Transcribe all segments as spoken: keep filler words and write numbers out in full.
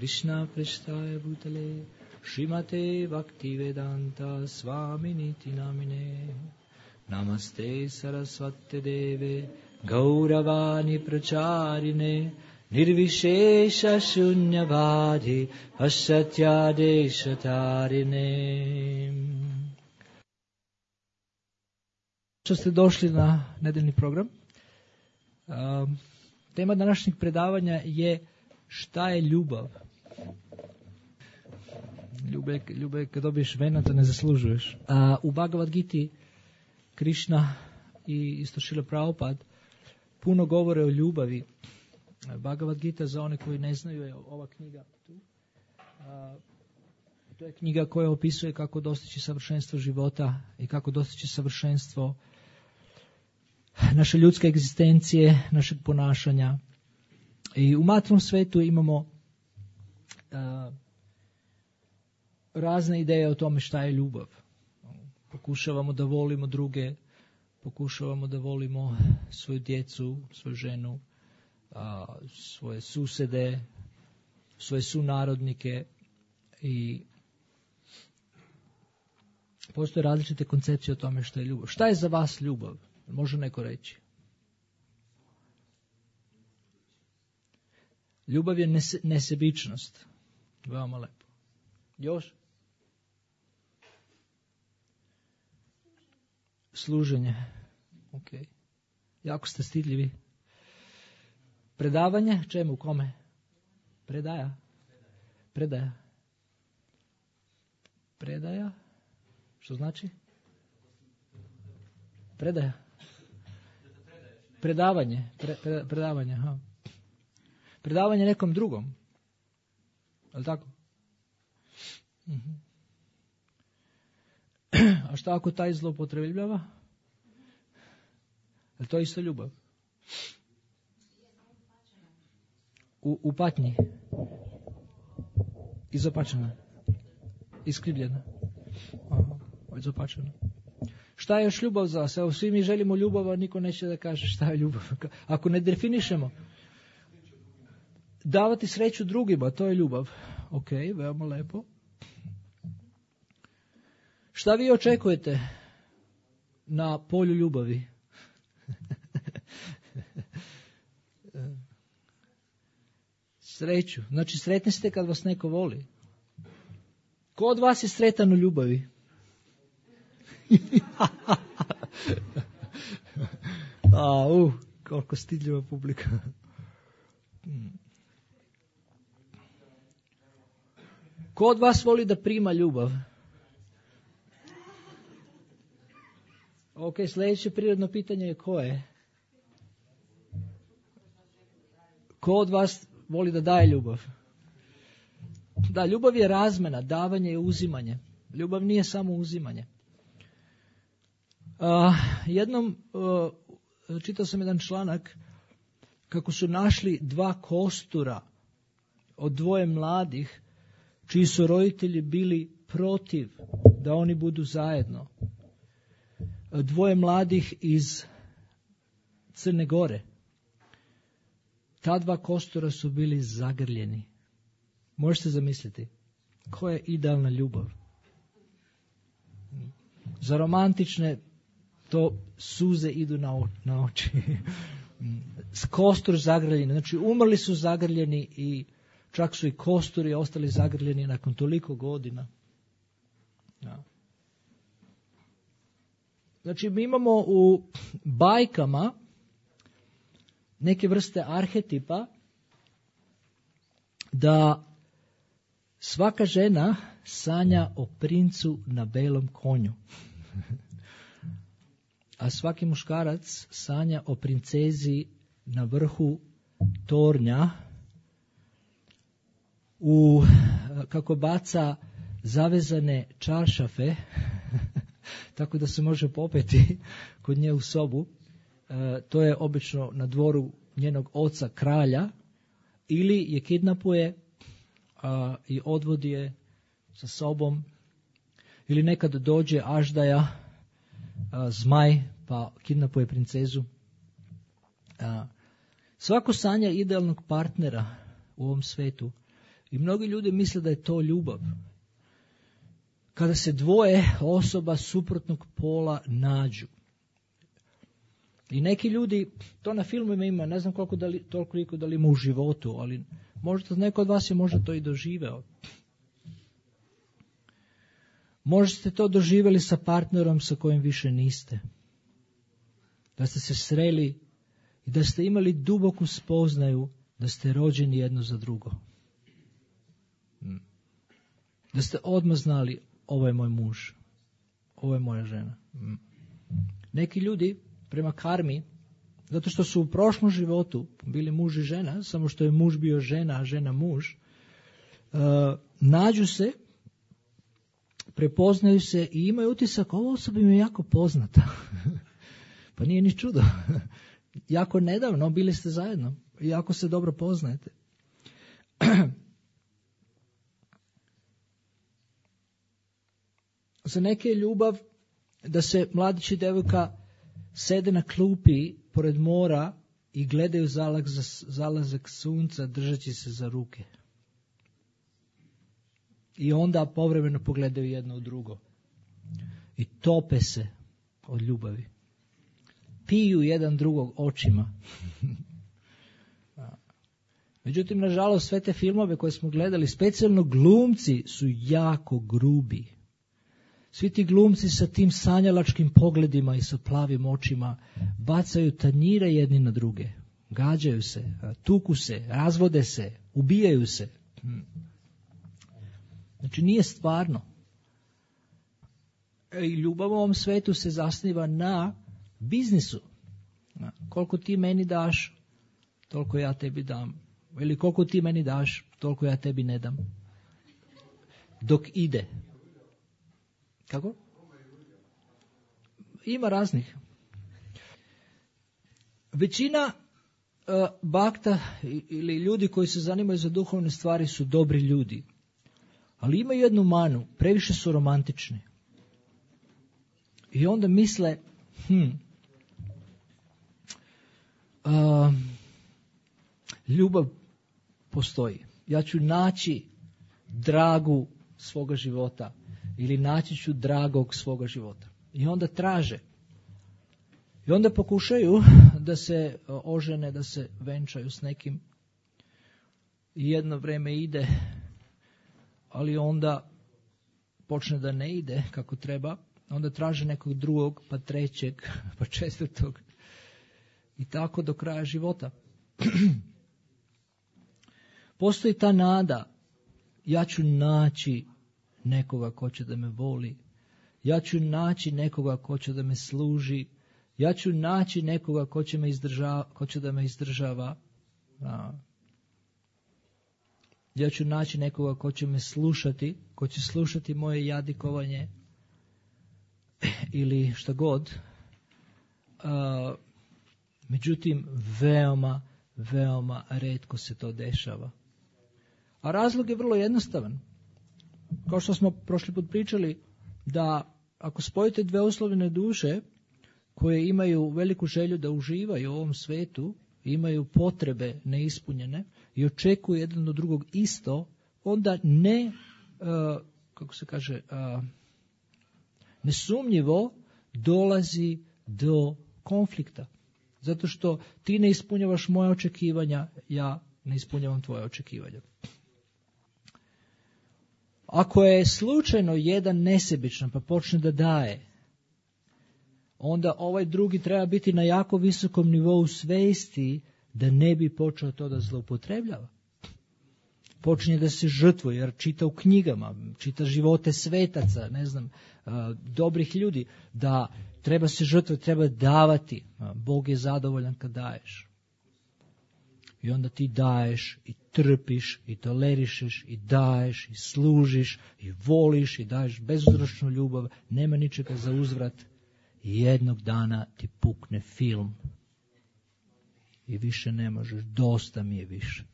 Krishna prestaya bhutale Srimate Bhaktivedanta Swaminiti Namine Namaste Saraswati Deve Gauravani Pracharine Nirvishesha Shunyavadhi Pasatya Deshatarine. Što ste došli na nedeljni program. Um, tema današnjeg predavanja je šta je ljubav. Ljube, ljube kad dobiješ vena, to ne zaslužuješ. A u Bhagavad Giti Krishna i isto Šrila Prabhupada puno govore o ljubavi. Bhagavad Gita, za one koji ne znaju, je ova knjiga tu. A, to je knjiga koja opisuje kako dostići savršenstvo života i kako dostići savršenstvo naše ljudske egzistencije, našeg ponašanja. I u materijalnom svetu imamo a, razne ideje o tome šta je ljubav. Pokušavamo da volimo druge, pokušavamo da volimo svoju djecu, svoju ženu, a, svoje susede, svoje sunarodnike i postoje različite koncepcije o tome šta je ljubav. Šta je za vas ljubav? Može neko reći? Ljubav je nese, nesebičnost. Veoma lepo. Još? Služenje. Ok. Jako ste stidljivi. Predavanje? Čemu? Kome? Predaja. Predaja. Predaja? Što znači? Predaja. Predavanje. Pre, pre, predavanje. Aha. Predavanje nekom drugom. Je li tako? Uh-huh. A šta ako taj zloupotrebljava? Je li to isto ljubav? U, u patnji. Izopačena. Iskrivljena. Aha, izopačena. Šta je još ljubav za vas? Evo, svi mi želimo ljubav, a niko neće da kaže šta je ljubav. Ako ne definišemo, davati sreću drugima, to je ljubav. Ok, veoma lepo. Šta vi očekujete na polju ljubavi? Sreću. Znači, sretni ste kad vas neko voli. Ko od vas je sretan u ljubavi? A, uh, koliko stidljiva publika. Ko od vas voli da prima ljubav? Ok, sljedeće prirodno pitanje je ko je? Ko od vas voli da daje ljubav? Da, ljubav je razmena, davanje i uzimanje. Ljubav nije samo uzimanje. Uh, jednom uh, čitao sam jedan članak kako su našli dva kostura od dvoje mladih čiji su roditelji bili protiv da oni budu zajedno. Dvoje mladih iz Crne Gore. Ta dva kostura su bili zagrljeni. Možete zamisliti koja je idealna ljubav. Za romantične to suze idu na, o, na oči. Kostur zagrljeni. Znači umrli su zagrljeni i čak su i kosturi ostali zagrljeni nakon toliko godina. Ja. Znači mi imamo u bajkama neke vrste arhetipa da svaka žena sanja o princu na belom konju. A svaki muškarac sanja o princezi na vrhu tornja u, kako baca zavezane čaršafe tako da se može popeti kod nje u sobu. E, to je obično na dvoru njenog oca kralja, ili je kidnapuje a, i odvodi je sa sobom, ili nekad dođe aždaja, a, zmaj, pa kidnapuje princezu. A, svako sanja idealnog partnera u ovom svetu I mnogi ljudi misle da je to ljubav. Kada se dvoje osoba suprotnog pola nađu. I neki ljudi, to na filmovima ima, ne znam koliko da li, toliko da li ima u životu, ali možda neko od vas je možda to i doživeo. Možda ste to doživjeli sa partnerom sa kojim više niste. Da ste se sreli i da ste imali duboku spoznaju da ste rođeni jedno za drugo. Da ste odmah znali, ovo je moj muž, ovo je moja žena. Neki ljudi prema karmi, zato što su u prošlom životu bili muž i žena, samo što je muž bio žena, a žena muž, uh, nađu se, prepoznaju se i imaju utisak, ova osoba im je jako poznata. Pa nije ni čudo. Jako nedavno bili ste zajedno i jako se dobro poznajete. Za neke je ljubav da se mladić i devojka sede na klupi pored mora i gledaju zalazak, zalazak sunca držeći se za ruke. I onda povremeno pogledaju jedno u drugo. I tope se od ljubavi. Piju jedan drugog očima. Međutim, nažalost, sve te filmove koje smo gledali, specijalno glumci, su jako grubi. Svi ti glumci sa tim sanjalačkim pogledima i sa plavim očima bacaju tanjire jedni na druge. Gađaju se, tuku se, razvode se, ubijaju se. Znači nije stvarno. I ljubav u ovom svetu se zasniva na biznisu. Koliko ti meni daš, toliko ja tebi dam. Ili koliko ti meni daš, toliko ja tebi ne dam. Dok ide. Kako? Ima raznih. Većina uh, bakta ili ljudi koji se zanimaju za duhovne stvari su dobri ljudi. Ali imaju jednu manu, previše su romantični. I onda misle, hm, uh, ljubav postoji. Ja ću naći dragu svoga života ili naći ću dragog svoga života. I onda traže. I onda pokušaju da se ožene, da se venčaju s nekim. I jedno vrijeme ide, ali onda počne da ne ide kako treba. Onda traže nekog drugog, pa trećeg, pa četvrtog. I tako do kraja života. Postoji ta nada. Ja ću naći nekoga ko će da me voli. Ja ću naći nekoga ko će da me služi. Ja ću naći nekoga ko će, me izdržava, ko će da me izdržava. A. Ja ću naći nekoga ko će me slušati, ko će slušati moje jadikovanje ili šta god. A, međutim, veoma, veoma retko se to dešava. A razlog je vrlo jednostavan. Kao što smo prošli put pričali, da ako spojite dve oslovljene duše koje imaju veliku želju da uživaju u ovom svetu, imaju potrebe neispunjene i očekuju jedan od drugog isto, onda ne, uh, kako se kaže, uh, nesumnjivo dolazi do konflikta. Zato što ti ne ispunjavaš moje očekivanja, ja ne ispunjavam tvoje očekivanja. Ako je slučajno jedan nesebičan pa počne da daje, onda ovaj drugi treba biti na jako visokom nivou svesti da ne bi počeo to da zloupotrebljava. Počinje da se žrtvuje jer čita u knjigama, čita živote svetaca, ne znam, dobrih ljudi, da treba se žrtvovati, treba davati. Bog je zadovoljan kad daješ. I onda ti daješ i trpiš i tolerišeš i daješ i služiš i voliš i daješ bezuzročnu ljubav, nema ničega za uzvrat. I jednog dana ti pukne film i više ne možeš, dosta mi je više.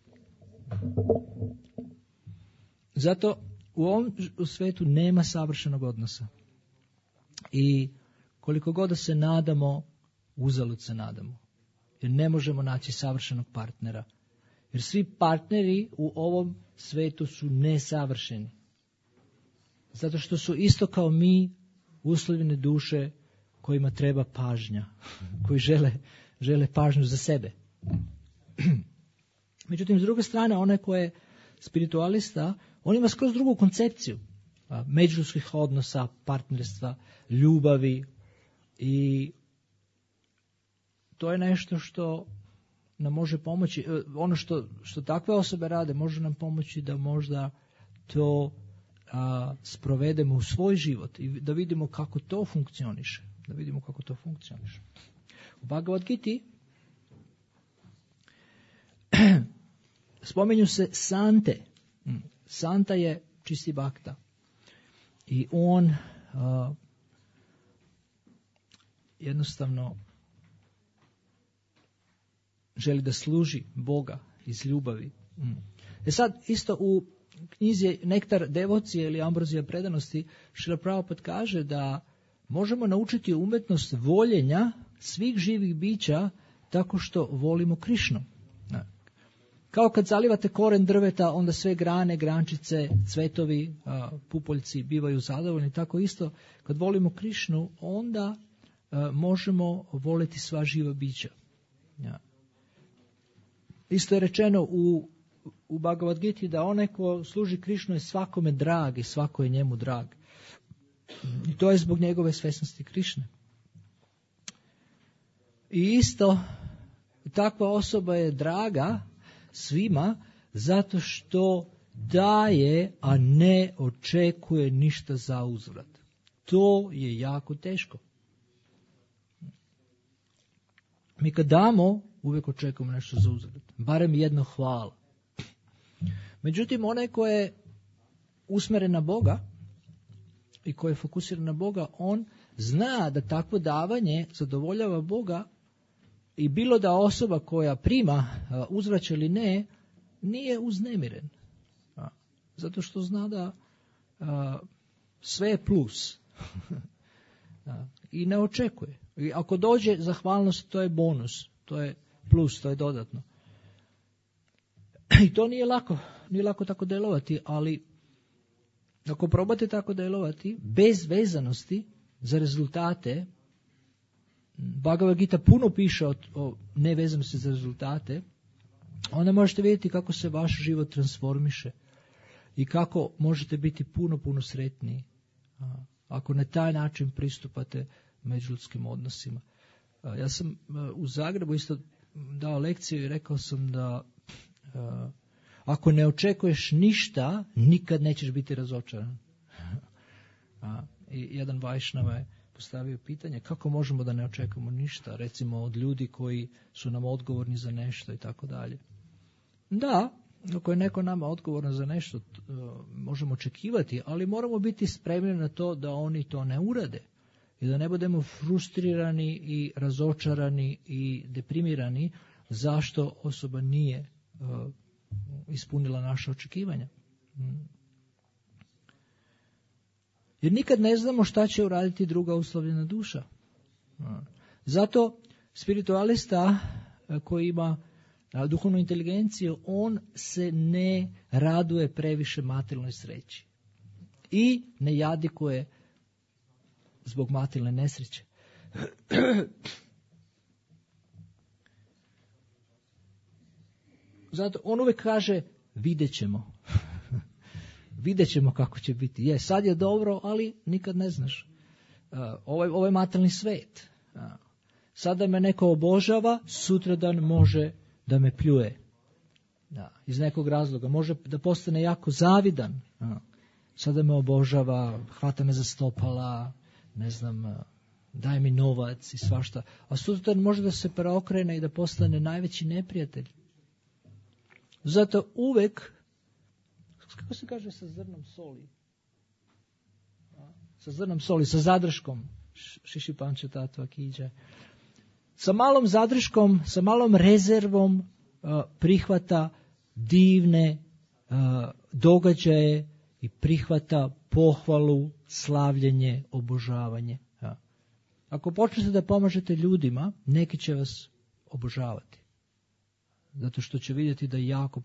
Zato u ovom u svetu nema savršenog odnosa. I koliko god da se nadamo, uzalud se nadamo. Jer ne možemo naći savršenog partnera. Jer svi partneri u ovom svetu su nesavršeni. Zato što su isto kao mi uslovljene duše kojima treba pažnja, koji žele, žele pažnju za sebe. Međutim, s druge strane, onaj ko je spiritualista, on ima skroz drugu koncepciju međuljudskih odnosa, partnerstva, ljubavi, i to je nešto što nam može pomoći. Ono što, što takve osobe rade može nam pomoći da možda to a, sprovedemo u svoj život i da vidimo kako to funkcioniše. Da vidimo kako to funkcioniše. U Bhagavad Giti spominju se sante. Santa je čisti bhakta. I on a, jednostavno želi da služi Boga iz ljubavi. E sad, isto u knjizi Nektar devocije ili Ambrozija predanosti, Šrila Prabhupada kaže da možemo naučiti umetnost voljenja svih živih bića tako što volimo Krišnu. Kao kad zalivate koren drveta, onda sve grane, grančice, cvetovi, pupoljci bivaju zadovoljni. Tako isto, kad volimo Krišnu, onda možemo voliti sva živa bića. Isto je rečeno u, u Bhagavad Giti da onaj ko služi Krišnu je svakome drag i svako je njemu drag. I to je zbog njegove svesnosti Krišne. I isto, takva osoba je draga svima zato što daje, a ne očekuje ništa za uzvrat. To je jako teško. Mi kad damo, uvijek očekujemo nešto za uzvrat. Barem jedno hvala. Međutim, onaj ko je usmjeren na Boga i ko je fokusiran na Boga, on zna da takvo davanje zadovoljava Boga i bilo da osoba koja prima uzvraća ili ne, nije uznemiren. Zato što zna da sve je plus. I ne očekuje. I ako dođe zahvalnost, to je bonus. To je plus, to je dodatno. I to nije lako. Nije lako tako delovati, ali ako probate tako delovati, bez vezanosti za rezultate, Bhagavad Gita puno piše o, o nevezanosti za rezultate, onda možete vidjeti kako se vaš život transformiše i kako možete biti puno, puno sretniji ako na taj način pristupate međuljudskim odnosima. Ja sam u Zagrebu isto dao lekciju i rekao sam da ako ne očekuješ ništa, nikad nećeš biti razočaran. I jedan Vajšnava je postavio pitanje kako možemo da ne očekujemo ništa, recimo od ljudi koji su nam odgovorni za nešto i tako dalje. Da, ako je neko nama odgovoran za nešto, možemo očekivati, ali moramo biti spremni na to da oni to ne urade i da ne budemo frustrirani i razočarani i deprimirani zašto osoba nije uh, ispunila naše očekivanja. Jer nikad ne znamo šta će uraditi druga uslovljena duša. Zato spiritualista koji ima duhovnu inteligenciju, on se ne raduje previše materijalnoj sreći i ne jadikuje zbog materijalne nesreće. Zato on uvijek kaže vidjet ćemo. Vidjet ćemo kako će biti. Je, sad je dobro, ali nikad ne znaš. Uh, ovaj, ovaj materijalni svet. Uh, sada me neko obožava, sutradan može da me pljuje. Da, iz nekog razloga. Može da postane jako zavidan. Uh, sada me obožava, hvata me za stopala, ne znam, uh, daje mi novac i svašta. A sutradan može da se preokrene i da postane najveći neprijatelj. Zato uvek, kako se kaže sa zrnom soli? A, sa zrnom soli, sa zadrškom. Šiši panče tatva kiđe. Sa malom zadrškom, sa malom rezervom a, prihvata divne a, događaje i prihvata pohvalu, slavljenje, obožavanje. A. Ako počnete da pomažete ljudima, neki će vas obožavati. zato što će vidjeti da jako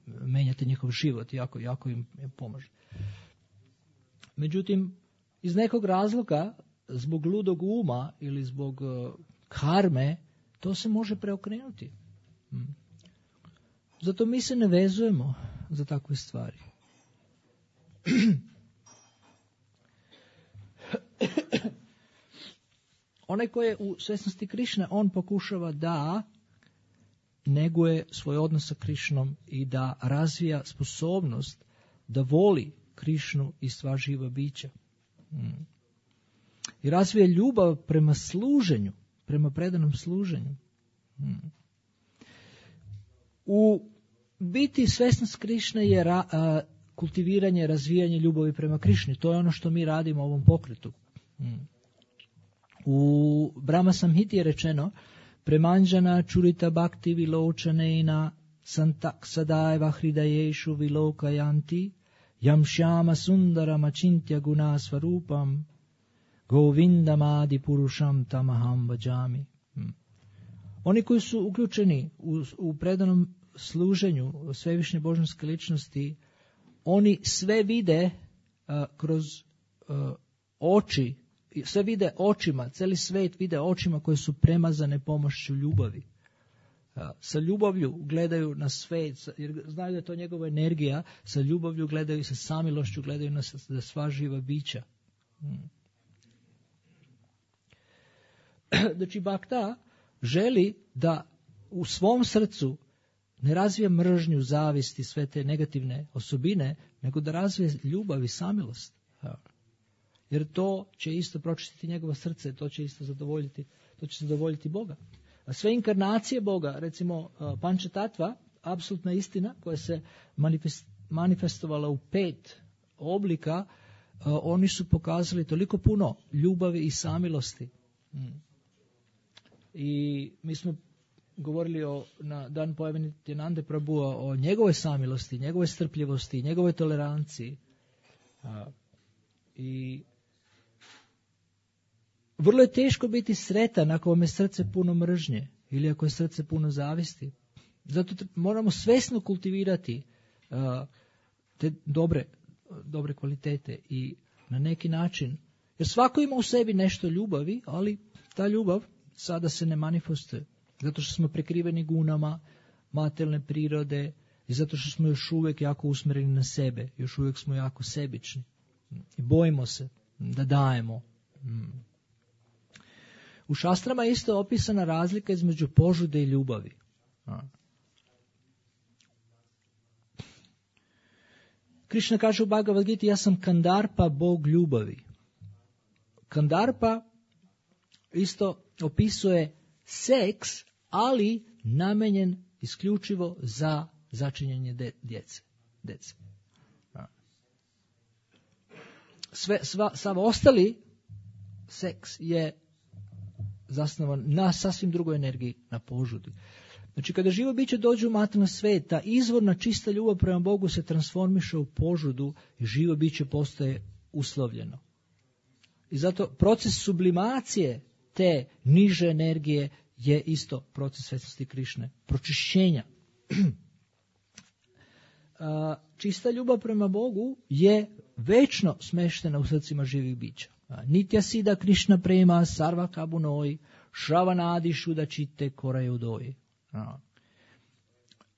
menjate njihov život, jako, jako im pomaže. Međutim, iz nekog razloga, zbog ludog uma ili zbog uh, karme, to se može preokrenuti. Hmm. Zato mi se ne vezujemo za takve stvari. Onaj koji je u svjesnosti Krišne, on pokušava da neguje svoj odnos sa Krišnom i da razvija sposobnost da voli Krišnu i sva živa bića. Hmm. I razvija ljubav prema služenju, prema predanom služenju. Hmm. U biti svjesnost Krišne je ra, a, kultiviranje, razvijanje ljubavi prema Krišni. To je ono što mi radimo u ovom pokretu. Hmm. U Brahma Samhiti je rečeno Premanjana čurita bhakti viločaneina santak sadaiva hridajeshu vilokayanti yam shyama sundaram achintya guna svarupam govindam adi purusham tamaham bhajami. Hmm. Oni koji su uključeni u, u predanom služenju svevišnje božanske ličnosti, oni sve vide uh, kroz uh, oči, sve vide očima, cijeli svijet vide očima koje su premazane pomošću ljubavi. Uh, sa ljubavlju gledaju na svijet, jer znaju da je to njegova energija, sa ljubavlju gledaju i sa samilošću gledaju na, na sva živa bića. Hmm. Znači, Bhakta želi da u svom srcu ne razvija mržnju, zavist i sve te negativne osobine, nego da razvije ljubav i samilost. Jer to će isto pročistiti njegovo srce, to će isto zadovoljiti, to će zadovoljiti Boga. A sve inkarnacije Boga, recimo Pančatatva, apsolutna istina koja se manifest, manifestovala u pet oblika, oni su pokazali toliko puno ljubavi i samilosti. Hmm. I mi smo govorili o, na dan pojave Nityanande Prabhua o njegovoj samilosti, njegovoj strpljivosti, njegovoj toleranciji. A, I vrlo je teško biti sretan ako vam je srce puno mržnje ili ako je srce puno zavisti. Zato moramo svjesno kultivirati a, te dobre, dobre kvalitete i na neki način, jer svako ima u sebi nešto ljubavi, ali ta ljubav sada se ne manifestuje. Zato što smo prekriveni gunama materijalne prirode i zato što smo još uvijek jako usmjereni na sebe. Još uvijek smo jako sebični. I bojimo se da dajemo. U šastrama je isto opisana razlika između požude i ljubavi. Krišna kaže u Bhagavad Giti, ja sam Kandarpa, Bog ljubavi. Kandarpa isto opisuje seks, ali namenjen isključivo za začinjenje de, djece. djece. Sve, sva, sav ostali seks je zasnovan na sasvim drugoj energiji, na požudi. Znači, kada živo biće dođe u materijalni svijet, ta izvorna čista ljubav prema Bogu se transformiše u požudu i živo biće postaje uslovljeno. I zato proces sublimacije te niže energije je isto proces svjesnosti Krišne, pročišćenja. Čista ljubav prema Bogu je večno smeštena u srcima živih bića. Nitya sida Krišna prema sarva kabunoi, šravanadi šuda čite korajudoi.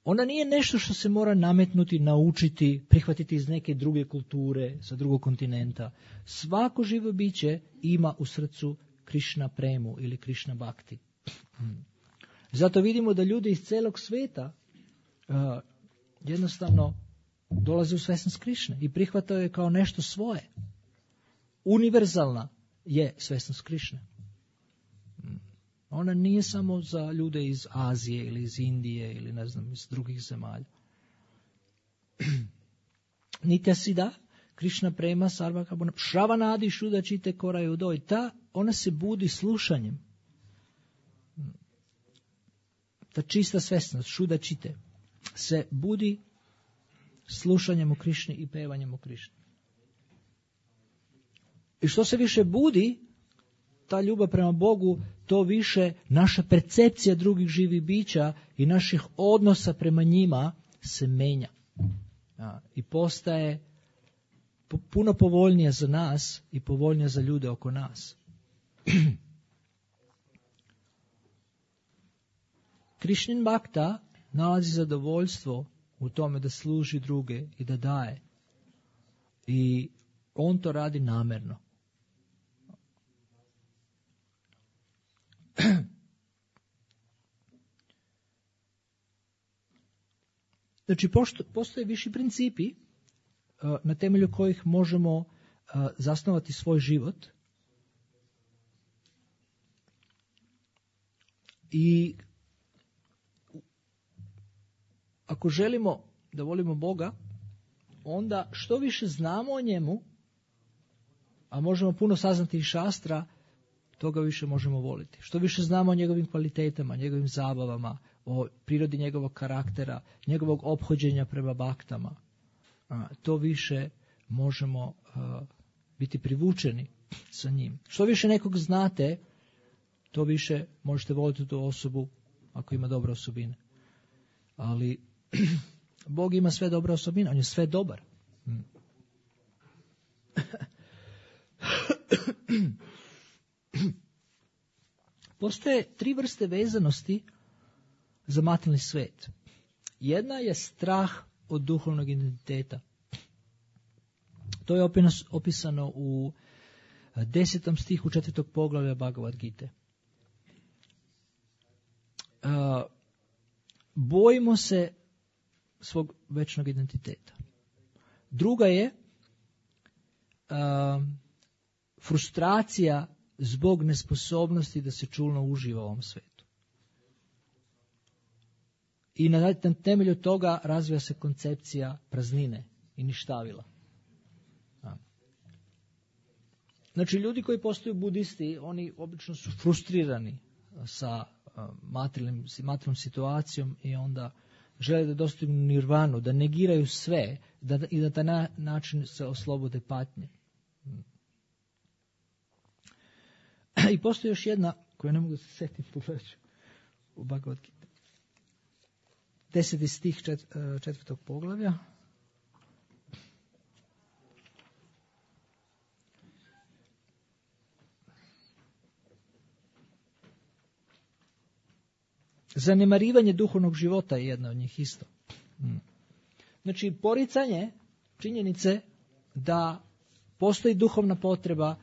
Ona nije nešto što se mora nametnuti, naučiti, prihvatiti iz neke druge kulture, sa drugog kontinenta. Svako živo biće ima u srcu Krišna premu ili Krišna bhakti. Zato vidimo da ljudi iz celog svijeta uh, jednostavno dolaze u svjesnost Krišne i prihvataju je kao nešto svoje. Univerzalna je svjesnost Krišne. Ona nije samo za ljude iz Azije ili iz Indije ili ne znam iz drugih zemalja. Nitya sida Krišna prema sarva kabuna šravanadi šuda čite korajudoi. Ta ona se budi slušanjem. Ta čista svjesnost, šuda čite, se budi slušanjem o Krišni i pevanjem o Krišni. I što se više budi, ta ljubav prema Bogu, to više naša percepcija drugih živih bića i naših odnosa prema njima se menja. A, i postaje puno povoljnija za nas i povoljnija za ljude oko nas. Krišnin Bhakta nalazi zadovoljstvo u tome da služi druge i da daje. I on to radi namjerno. Znači, postoje viši principi na temelju kojih možemo zasnovati svoj život. I ako želimo da volimo Boga, onda što više znamo o njemu, a možemo puno saznati iz šastra, toga više možemo voliti. Što više znamo o njegovim kvalitetama, njegovim zabavama, o prirodi njegovog karaktera, njegovog ophođenja prema baktama, to više možemo biti privučeni sa njim. Što više nekog znate, to više možete voliti tu osobu ako ima dobre osobine. Ali Bog ima sve dobre osobine, on je sve dobar. Postoje tri vrste vezanosti za materijalni svijet. Jedna je strah od duhovnog identiteta. To je opisano u desetom stihu četvrtog poglavlja Bhagavad Gite. Bojimo se svog večnog identiteta. Druga je a, frustracija zbog nesposobnosti da se čulno uživa u ovom svijetu. I na temelju toga razvija se koncepcija praznine i ništavila. A. Znači, ljudi koji postaju budisti, oni obično su frustrirani sa materijalnom situacijom i onda žele da dostignu nirvanu, da negiraju sve da, i da na način se oslobode patnje. I postoji još jedna, koju ne mogu da se setim, pogledat ću u Bhagavad Gita. Deseti stih čet, četvrtog poglavlja. Zanemarivanje duhovnog života je jedna od njih isto. Znači, poricanje činjenice da postoji duhovna potreba,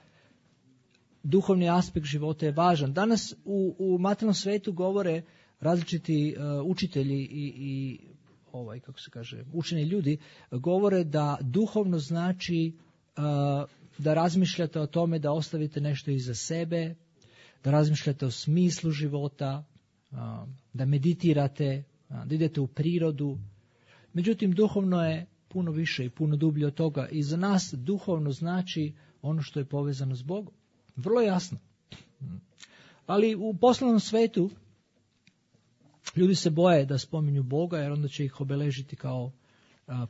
duhovni aspekt života je važan. Danas u, u materijalnom svijetu govore različiti uh, učitelji i, i ovaj, kako se kaže, učeni ljudi, govore da duhovno znači uh, da razmišljate o tome da ostavite nešto iza sebe, da razmišljate o smislu života, da meditirate, da idete u prirodu. Međutim, duhovno je puno više i puno dublje od toga. I za nas duhovno znači ono što je povezano s Bogom. Vrlo jasno. Ali u poslovnom svetu ljudi se boje da spominju Boga, jer onda će ih obeležiti kao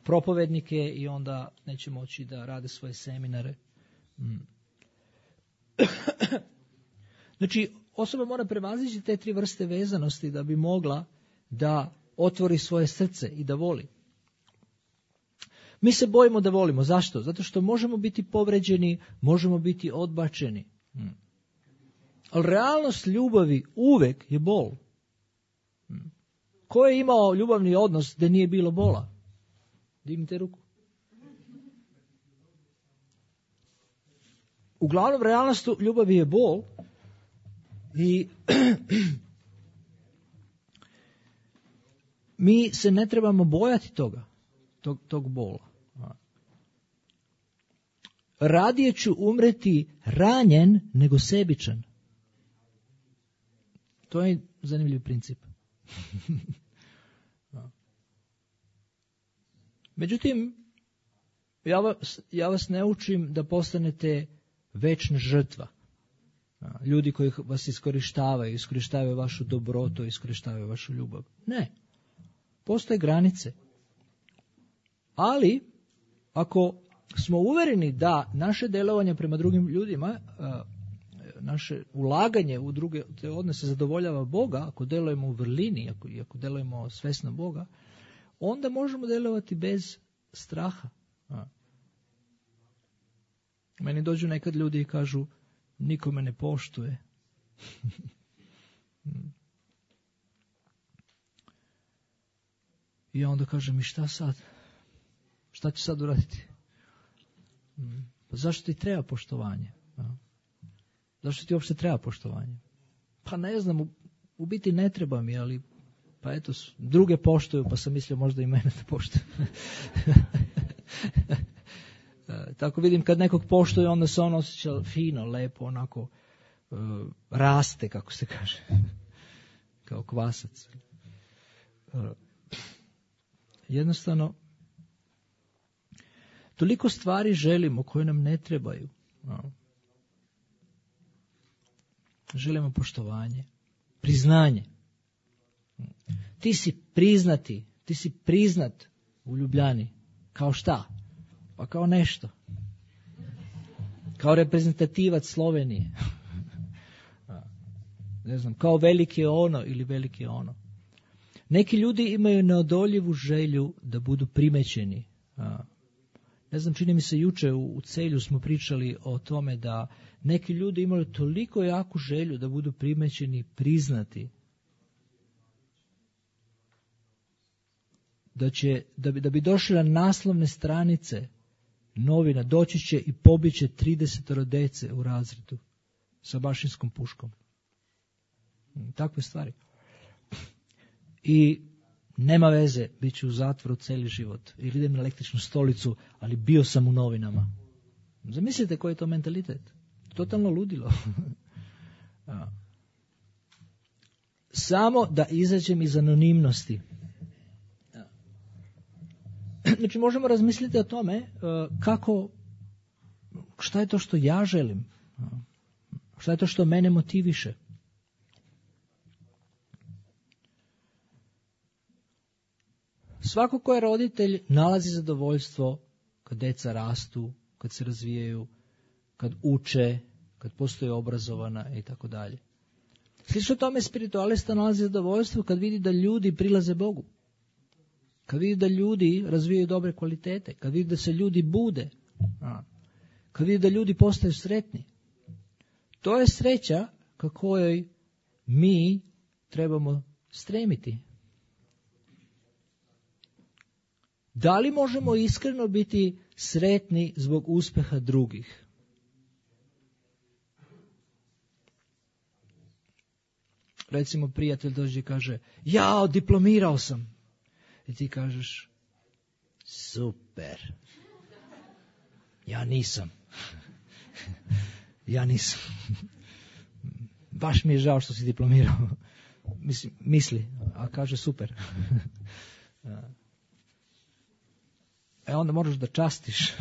propovednike i onda neće moći da rade svoje seminare. Znači, osoba mora prevazići te tri vrste vezanosti da bi mogla da otvori svoje srce i da voli. Mi se bojimo da volimo. Zašto? Zato što možemo biti povređeni, možemo biti odbačeni. Hmm. Ali realnost ljubavi uvek je bol. Hmm. Ko je imao ljubavni odnos da nije bilo bola? Dignite ruku. Uglavnom, realnost ljubavi je bol. I mi se ne trebamo bojati toga, tog, tog bola. Radije ću umreti ranjen nego sebičan. To je zanimljiv princip. Međutim, ja vas, ja vas ne učim da postanete večna žrtva. Ljudi koji vas iskorištavaju, iskorištavaju vašu dobrotu, iskorištavaju vašu ljubav. Ne. Postoje granice. Ali, ako smo uvereni da naše delovanje prema drugim ljudima naše ulaganje u druge te odnose zadovoljava Boga, ako delujemo u vrlini, ako, ako delujemo svesno Boga, onda možemo delovati bez straha. A. Meni dođu nekad ljudi i kažu, niko me ne poštuje. I ja onda kažem, i šta sad? Šta ću sad uraditi? Pa zašto ti treba poštovanje? Zašto ti uopšte treba poštovanje? Pa ne znam, u, u biti ne treba mi, ali pa eto, druge poštuju, pa sam mislio možda i mene da poštuju. Tako vidim, kad nekog poštuje, onda se on osjeća fino, lepo, onako uh, raste, kako se kaže, kao kvasac. Uh, jednostavno, toliko stvari želimo koje nam ne trebaju. Uh. Želimo poštovanje, priznanje. Ti si priznati, ti si priznat u Ljubljani. Kao šta? Pa kao nešto. Kao reprezentativac Slovenije. Ne znam, kao veliki ono ili veliki ono. Neki ljudi imaju neodoljivu želju da budu primećeni. Ne znam, čini mi se juče u Celju smo pričali o tome da neki ljudi imaju toliko jaku želju da budu primećeni, priznati, da će, da bi, da bi došli na naslovne stranice novina, doći će i pobiće tridesetoro dece u razredu sa bašinskom puškom. Takve stvari. I nema veze, bit ću u zatvoru cijeli život. Ili idem na električnu stolicu, ali bio sam u novinama. Zamislite koji je to mentalitet. Totalno ludilo. Samo da izađem iz anonimnosti. Znači možemo razmisliti o tome kako, šta je to što ja želim, šta je to što mene motiviše. Svako ko je roditelj nalazi zadovoljstvo kad deca rastu, kad se razvijaju, kad uče, kad postoje obrazovana i tako dalje. Slično tome spiritualista nalazi zadovoljstvo kad vidi da ljudi prilaze Bogu. Kad vidi da ljudi razvijaju dobre kvalitete, kad vidi da se ljudi bude, kad vidi da ljudi postaju sretni. To je sreća ka kojoj mi trebamo stremiti. Da li možemo iskreno biti sretni zbog uspeha drugih? Recimo prijatelj dođe i kaže, ja diplomirao sam. I ti kažeš, super, ja nisam. ja nisam. Baš mi je žao što si diplomirao. Mislim, misli, a kaže super. E onda moraš da častiš.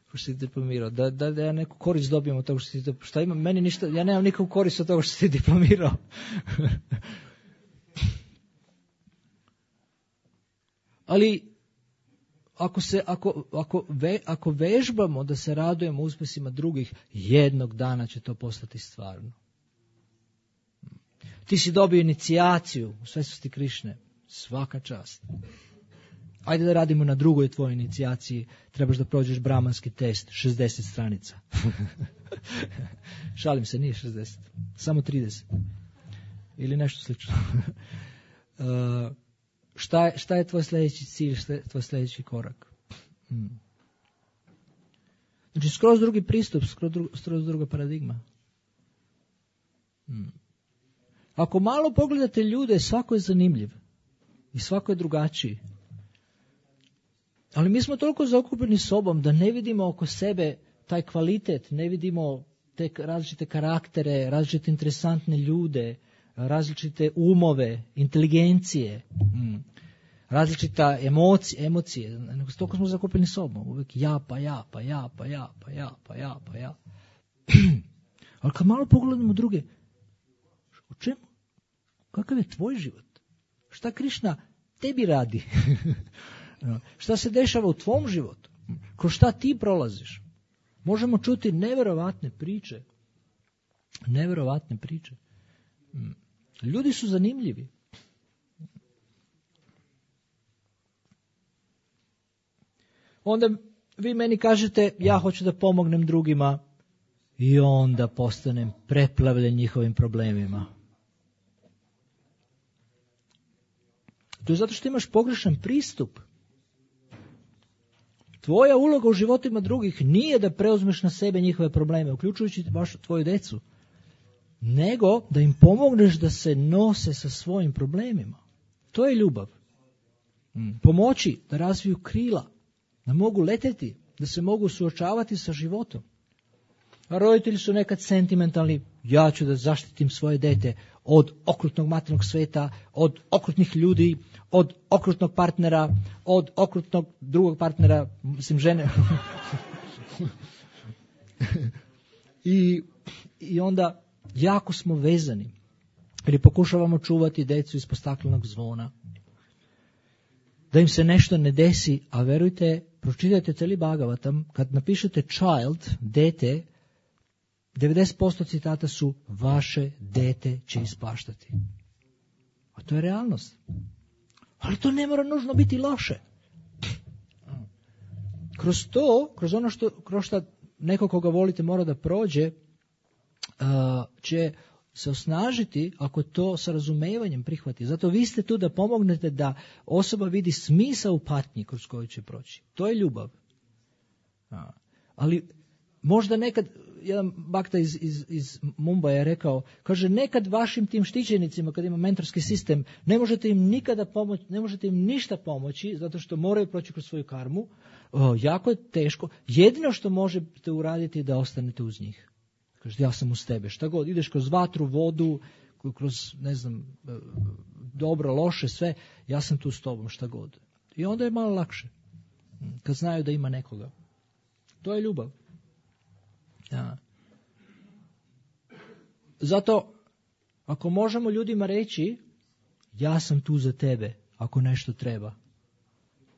Što si diplomirao. Da, da, da ja neku korist dobijem od toga što si diplomirao. Šta ima? Meni ništa, ja nemam nikakvu korist od toga što si diplomirao. Ali ako, se, ako, ako, ve, ako vežbamo da se radujemo uspjesima drugih, jednog dana će to postati stvarno. Ti si dobio inicijaciju u svetosti Krišne. Svaka čast. Ajde da radimo na drugoj tvojoj inicijaciji. Trebaš da prođeš bramanski test. šezdeset stranica. Šalim se, nije šezdeset. Samo trideset. Ili nešto slično. uh, šta, je, šta je tvoj sljedeći cilj? Šta je tvoj sljedeći korak? Hmm. Znači, skroz drugi pristup, skroz, dru, skroz druga paradigma. Hmm. Ako malo pogledate ljude, svako je zanimljiv. I svako je drugačiji. Ali mi smo toliko zaokupljeni sobom da ne vidimo oko sebe taj kvalitet, ne vidimo te različite karaktere, različite interesantne ljude, različite umove, inteligencije, različita emocije, emocije. Toliko smo zakupljeni sobom. Uvijek ja, pa ja, pa ja, pa ja, pa ja, pa ja, pa ja. Ali kad malo pogledamo druge, o čemu? Kakav je tvoj život? Šta Krišna tebi radi? Šta se dešava u tvom životu? Kroz šta ti prolaziš? Možemo čuti nevjerovatne priče. Nevjerovatne priče. Ljudi su zanimljivi. Onda vi meni kažete, ja hoću da pomognem drugima i onda postanem preplavljen njihovim problemima. To je zato što imaš pogrešan pristup. Tvoja uloga u životima drugih nije da preuzmeš na sebe njihove probleme, uključujući baš tvoju decu, nego da im pomogneš da se nose sa svojim problemima. To je ljubav. Pomoći da razviju krila, da mogu leteti, da se mogu suočavati sa životom. A roditelji su nekad sentimentalni, ja ću da zaštitim svoje dete od okrutnog materijalnog sveta, od okrutnih ljudi, od okrutnog partnera, od okrutnog drugog partnera, mislim žene. I, I onda jako smo vezani, jer pokušavamo čuvati decu ispod staklenog zvona. Da im se nešto ne desi, a verujte, pročitajte cijeli Bhagavatam, kad napišete child, dete, devedeset posto citata su vaše dete će ispaštati. A to je realnost. Ali to ne mora nužno biti loše. Kroz to, kroz ono što, kroz što neko koga volite mora da prođe, uh, će se osnažiti ako to sa razumevanjem prihvati. Zato vi ste tu da pomognete da osoba vidi smisao u patnji kroz koju će proći. To je ljubav. A, ali možda nekad, jedan bakta iz, iz, iz Mumbaja je rekao, kaže, nekad vašim tim štićenicima, kad ima mentorski sistem, ne možete im nikada pomoći, ne možete im ništa pomoći, zato što moraju proći kroz svoju karmu, o, jako je teško. Jedino što možete uraditi je da ostanete uz njih. Kaže, ja sam uz tebe, šta god, ideš kroz vatru, vodu, kroz, ne znam, dobro, loše, sve, ja sam tu s tobom, šta god. I onda je malo lakše, kad znaju da ima nekoga. To je ljubav. Ja. Zato, ako možemo ljudima reći, ja sam tu za tebe, ako nešto treba,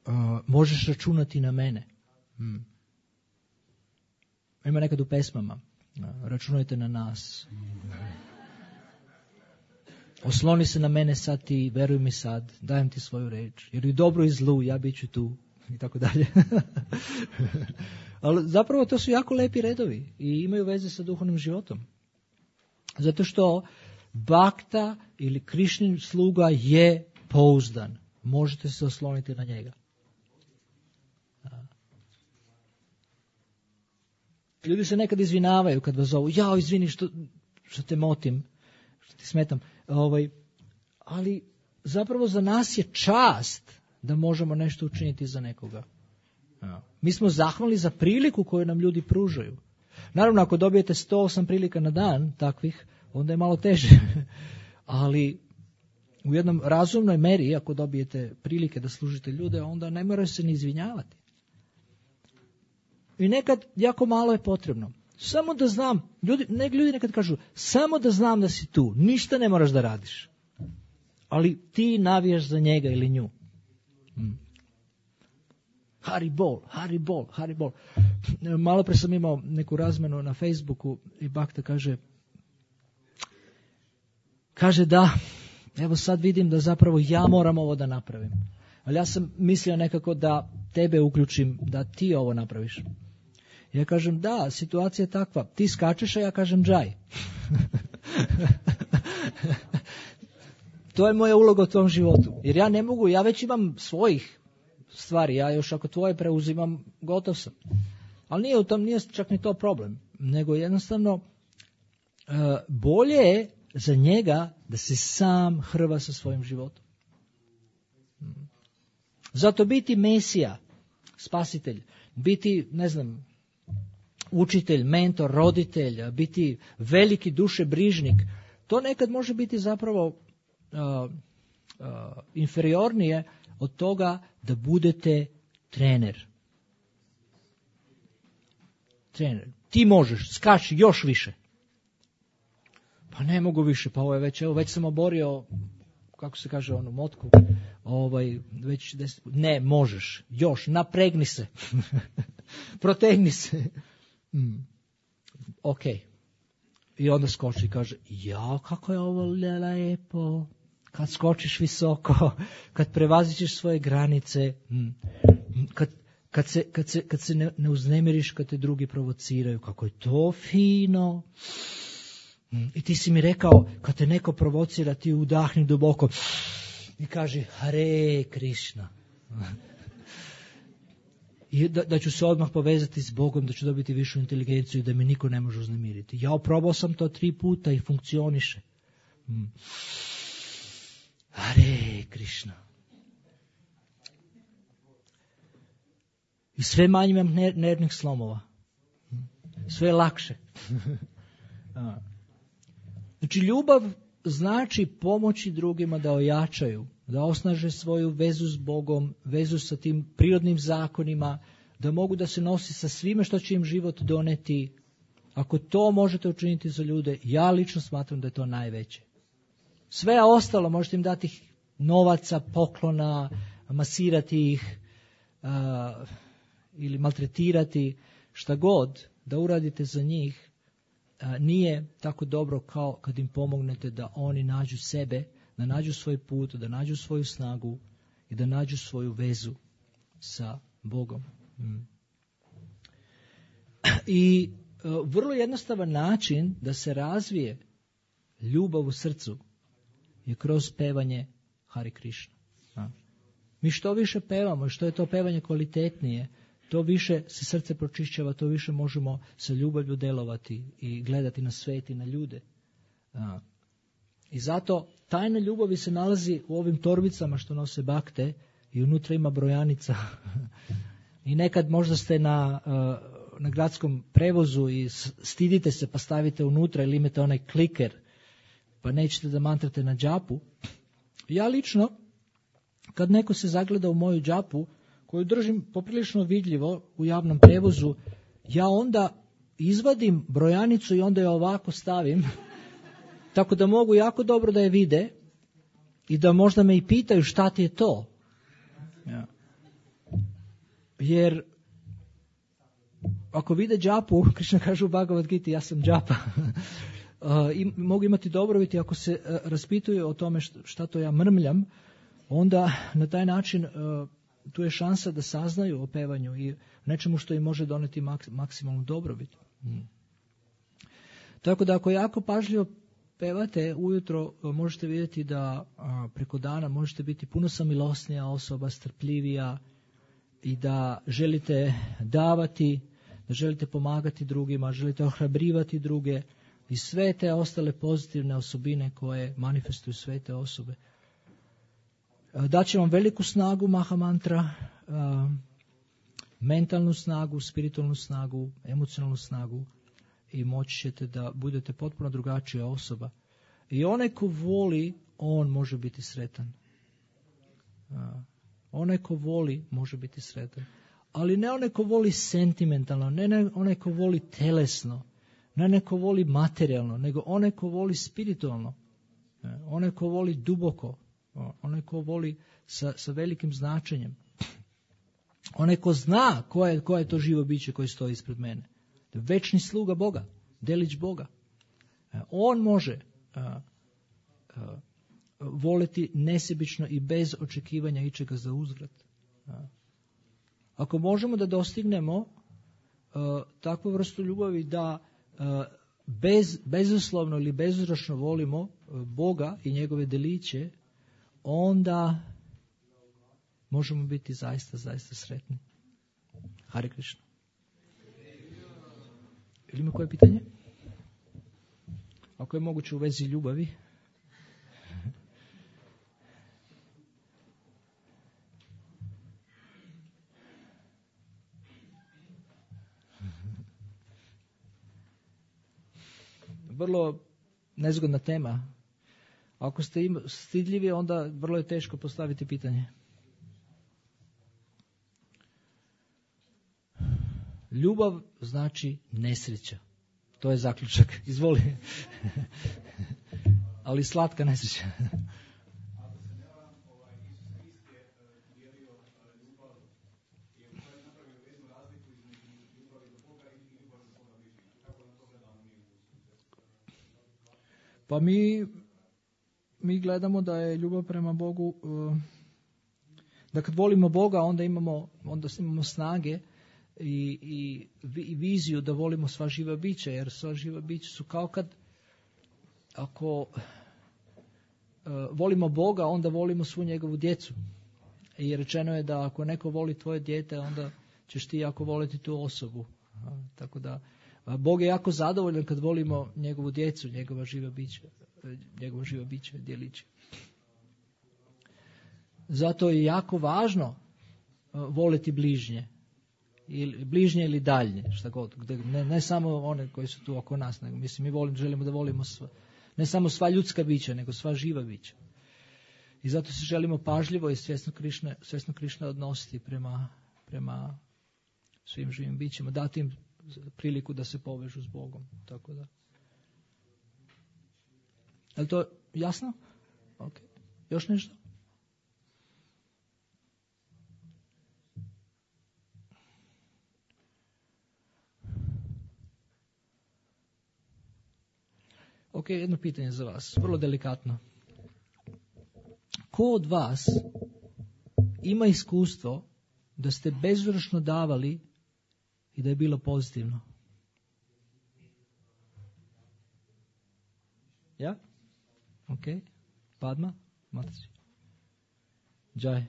uh, možeš računati na mene. Hmm. Ima nekad u pesmama, uh, računajte na nas. Osloni se na mene sad ti, veruj mi sad, dajem ti svoju reč, jer i dobro i zlu, ja bit ću tu, i tako dalje. Ali zapravo to su jako lepi redovi i imaju veze sa duhovnim životom. Zato što bakta ili Krišnin sluga je pouzdan. Možete se osloniti na njega. Ljudi se nekad izvinavaju kad vas zovu. Jao, izvini što, što te motim, što ti smetam. Ovaj, ali zapravo za nas je čast da možemo nešto učiniti za nekoga. Mi smo zahvalni za priliku koju nam ljudi pružaju. Naravno, ako dobijete sto osam prilika na dan takvih, onda je malo teže. Ali u jednom razumnoj meri, ako dobijete prilike da služite ljude, onda ne moraju se ni izvinjavati. I nekad jako malo je potrebno. Samo da znam, ljudi, ne, ljudi nekad kažu, samo da znam da si tu, ništa ne moraš da radiš. Ali ti navijaš za njega ili nju. Hmm. Haribol, Haribol, Haribol. Malo pre sam imao neku razmenu na Facebooku i bakta kaže, kaže da, evo sad vidim da zapravo ja moram ovo da napravim. Ali ja sam mislio nekako da tebe uključim, da ti ovo napraviš. Ja kažem, da, situacija je takva, ti skačeš, a ja kažem džaj. To je moja uloga u tvom životu. Jer ja ne mogu, ja već imam svojih stvari, ja još ako tvoje preuzimam, gotov sam. Ali nije u tom, nije čak ni to problem, nego jednostavno uh, bolje je za njega da se sam hrva sa svojim životom. Zato biti Mesija, spasitelj, biti, ne znam, učitelj, mentor, roditelj, biti veliki dušebrižnik, to nekad može biti zapravo uh, uh, inferiornije od toga da budete trener. Trener. Ti možeš, skači još više. Pa ne mogu više, pa ovo je već, evo, već sam oborio, kako se kaže, onu motku, ovaj, već deset, ne, možeš, još, napregni se, protegni se. mm, ok. I onda skoči i kaže, ja, kako je ovo lijepo. Kad skočiš visoko, kad prevazićeš svoje granice, mm, kad, kad se, kad se, kad se ne, ne uznemiriš kad te drugi provociraju, kako je to fino. Mm, I ti si mi rekao, kad te neko provocira, ti udahni duboko i kaži, Hare Krishna. I da, da ću se odmah povezati s Bogom, da ću dobiti višu inteligenciju i da me niko ne može uznemiriti. Ja oprobao sam to tri puta i funkcioniše. Mm. Hare Krishna. I sve manje imam ner- nervnih slomova. Sve je lakše. Znači, ljubav znači pomoći drugima da ojačaju, da osnaže svoju vezu s Bogom, vezu sa tim prirodnim zakonima, da mogu da se nosi sa svime što će im život doneti. Ako to možete učiniti za ljude, ja lično smatram da je to najveće. Sve ostalo možete im dati novaca, poklona, masirati ih uh, ili maltretirati, šta god da uradite za njih, uh, nije tako dobro kao kad im pomognete da oni nađu sebe, da nađu svoj put, da nađu svoju snagu i da nađu svoju vezu sa Bogom. Mm. I uh, vrlo jednostavan način da se razvije ljubav u srcu je kroz pevanje Hare Krishna. A? Mi što više pevamo, što je to pevanje kvalitetnije, to više se srce pročišćava, to više možemo sa ljubavlju delovati i gledati na svet i na ljude. A? I zato tajna ljubavi se nalazi u ovim torbicama što nose bakte i unutra ima brojanica. I nekad možda ste na, na gradskom prevozu i stidite se pa stavite unutra ili imate onaj kliker pa nećete da mantrate na džapu. Ja lično, kad neko se zagleda u moju džapu, koju držim poprilično vidljivo u javnom prevozu, ja onda izvadim brojanicu i onda je ovako stavim, tako da mogu jako dobro da je vide i da možda me i pitaju šta ti je to. Ja. Jer ako vide džapu, Krishna kaže u Bhagavad Giti, ja sam džapa. Uh, i mogu imati dobrobiti ako se uh, raspituju o tome šta, šta to ja mrmljam, onda na taj način uh, tu je šansa da saznaju o pevanju i nečemu što im može doneti mak, maksimalnu dobrobit. Hmm. Tako da ako jako pažljivo pevate ujutro, uh, možete vidjeti da uh, preko dana možete biti puno samilosnija osoba, strpljivija i da želite davati, da želite pomagati drugima, želite ohrabrivati druge, i sve te ostale pozitivne osobine koje manifestuju sve te osobe. Daće vam veliku snagu Mahamantra, mentalnu snagu, spiritualnu snagu, emocionalnu snagu i moći ćete da budete potpuno drugačija osoba. I onaj ko voli, on može biti sretan. Onaj ko voli može biti sretan. Ali ne onaj ko voli sentimentalno, ne onaj ko voli telesno, ne neko voli materijalno, nego onaj ko voli spiritualno, onaj ko voli duboko, onaj ko voli sa, sa velikim značenjem, onaj ko zna ko je, ko je to živo biće koje stoji ispred mene. Večni sluga Boga, delić Boga. On može a, a, voliti nesebično i bez očekivanja ičega za uzvrat. A. Ako možemo da dostignemo a, takvu vrstu ljubavi da Bez, bezuslovno ili bezuzročno volimo Boga i njegove deliće, onda možemo biti zaista, zaista sretni. Hare Krishna. Ili ima koje pitanje? Ako je moguće u vezi ljubavi. Vrlo nezgodna tema. Ako ste im stidljivi, onda vrlo je teško postaviti pitanje. Ljubav znači nesreća. To je zaključak. Izvoli. Ali slatka nesreća. Pa mi, mi gledamo da je ljubav prema Bogu, da kad volimo Boga, onda imamo, onda imamo snage i, i, i viziju da volimo sva živa bića, jer sva živa bića su kao kad, ako uh, volimo Boga, onda volimo svu njegovu djecu. I rečeno je da ako neko voli tvoje dijete, onda ćeš ti jako voliti tu osobu. A, tako da, a Bog je jako zadovoljan kad volimo njegovu djecu, njegova živa bića, njegova živa bića, djeliće. Zato je jako važno uh, voliti bližnje. Ili, bližnje ili daljnje, šta god. Ne, ne samo one koji su tu oko nas, nego mislim, mi volim, želimo da volimo sva, ne samo sva ljudska bića, nego sva živa bića. I zato se želimo pažljivo i svjesno Krišne, svjesno Krišne odnositi prema, prema svim živim bićima, dati im priliku da se povežu s Bogom. Tako da. Je li to jasno? Ok. Još nešto? Ok, jedno pitanje za vas, vrlo delikatno. Ko od vas ima iskustvo da ste bezvršno davali i da je bilo pozitivno? Ja? Ok. Padma? Mataci? Džaj.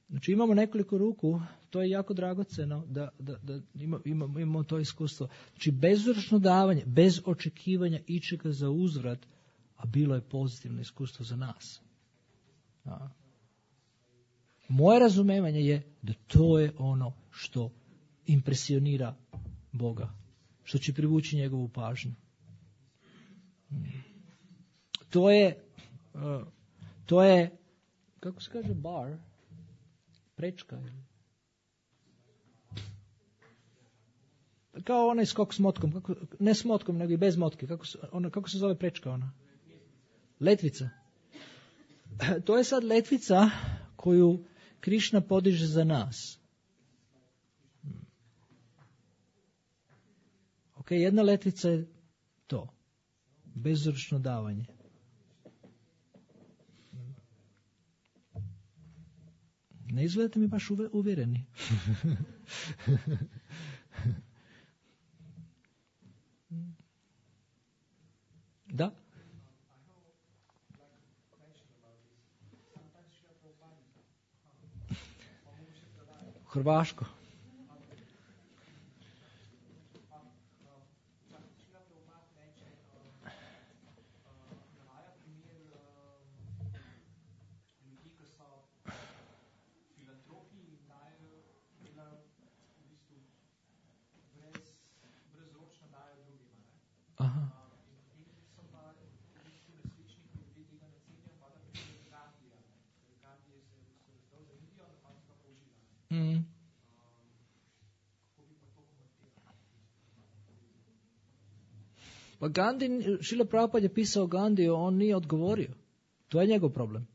Znači imamo nekoliko ruku, to je jako dragoceno da, da, da ima, imamo, imamo to iskustvo. Znači bezvršno davanje, bez očekivanja ičega za uzvrat, a bilo je pozitivno iskustvo za nas. A. Moje razumevanje je da to je ono što impresionira Boga, što će privući njegovu pažnju. To je, uh, to je, kako se kaže bar? Prečka. Kao onaj skok s motkom, kako, ne s motkom, nego i bez motke. Kako se, ona, kako se zove prečka ona? Letvica. To je sad letvica koju Krišna podiže za nas. Ok, jedna letvica je to. Bezvršno davanje. Ne izgledate mi baš uvjereni. Da? Hrvaško. Aha. Mm. Pa Gandhi, Šrila Prabhupada je pisao Gandhi, on nije odgovorio. To je njegov problem.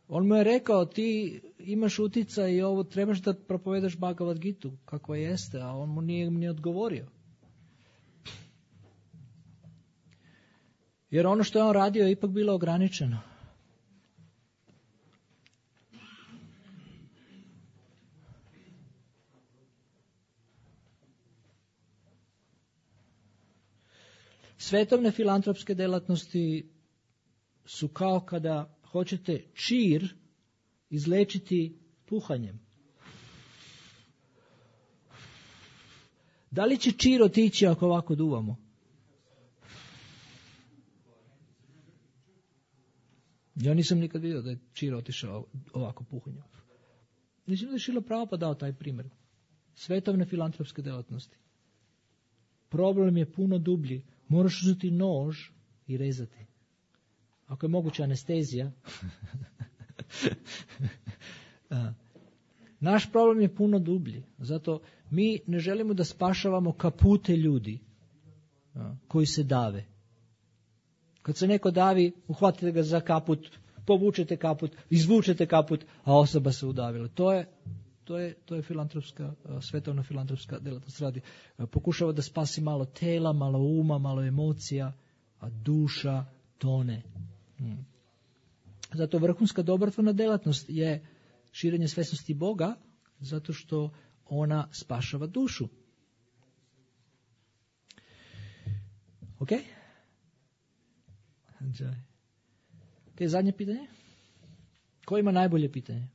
On mu je rekao, ti imaš utjecaj i ovo trebaš da propovedaš Bhagavad Gitu, kakva jeste, a on mu nije ni odgovorio. Jer ono što je on radio je ipak bilo ograničeno. Svetovne filantropske delatnosti su kao kada hoćete čir izlečiti puhanjem. Da li će čir otići ako ovako duvamo? Ja nisam nikad vidio da je čir otišao ovako puhanjem. Mislim da je Šrila Prabhupada dao taj primjer. Svetovne filantropske delatnosti. Problem je puno dublji. Moraš uzeti nož i rezati. Ako je moguća anestezija. Naš problem je puno dublji. Zato mi ne želimo da spašavamo kapute ljudi koji se dave. Kad se neko davi, uhvatite ga za kaput, povučete kaput, izvučete kaput, a osoba se udavila. To je, to je, to je filantropska, svetovna filantropska djelatnost radi. Pokušava da spasi malo tela, malo uma, malo emocija, a duša tone. Hmm. Zato vrhunska dobrotvorna djelatnost je širenje svjesnosti Boga, zato što ona spašava dušu. Ok? Ok, zadnje pitanje. Ko ima najbolje pitanje?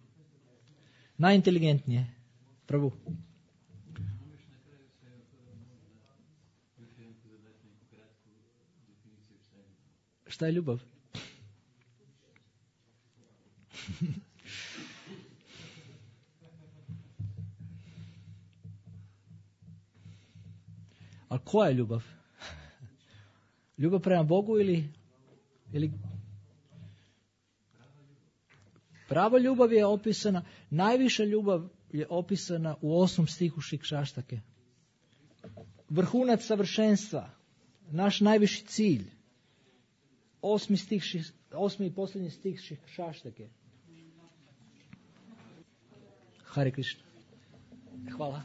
Najinteligentnije. Prvu. Šta je ljubav? A koja je ljubav? Ljubav prema Bogu ili, ili... Prava ljubav je opisana, najviša ljubav je opisana u osmom stihu Šikšaštake. Vrhunac savršenstva, naš najviši cilj. Osmi, stih, osmi i posljednji stih Šikšaštake. Hare Krishna. Hvala.